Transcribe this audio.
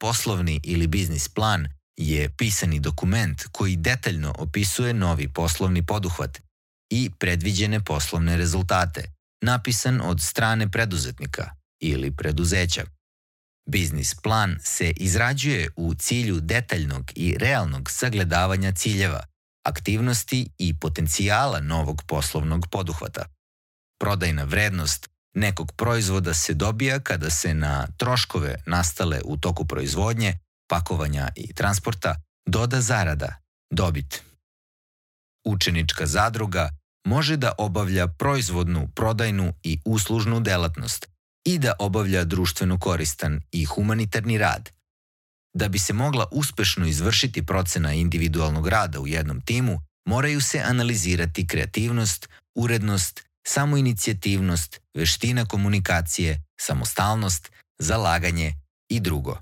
Poslovni ili biznis plan je pisani dokument koji detaljno opisuje novi poslovni poduhvat i predviđene poslovne rezultate, napisan od strane preduzetnika ili preduzeća. Biznis plan se izrađuje u cilju detaljnog i realnog sagledavanja ciljeva, aktivnosti i potencijala novog poslovnog poduhvata. Prodajna vrednost nekog proizvoda se dobija kada se na troškove nastale u toku proizvodnje, pakovanja i transporta doda zarada, dobit. Učenička zadruga može da obavlja proizvodnu, prodajnu i uslužnu delatnost i da obavlja društveno koristan i humanitarni rad. Da bi se mogla uspešno izvršiti procena individualnog rada u jednom timu, moraju se analizirati kreativnost, urednost, samoinicijativnost, veština komunikacije, samostalnost, zalaganje i drugo.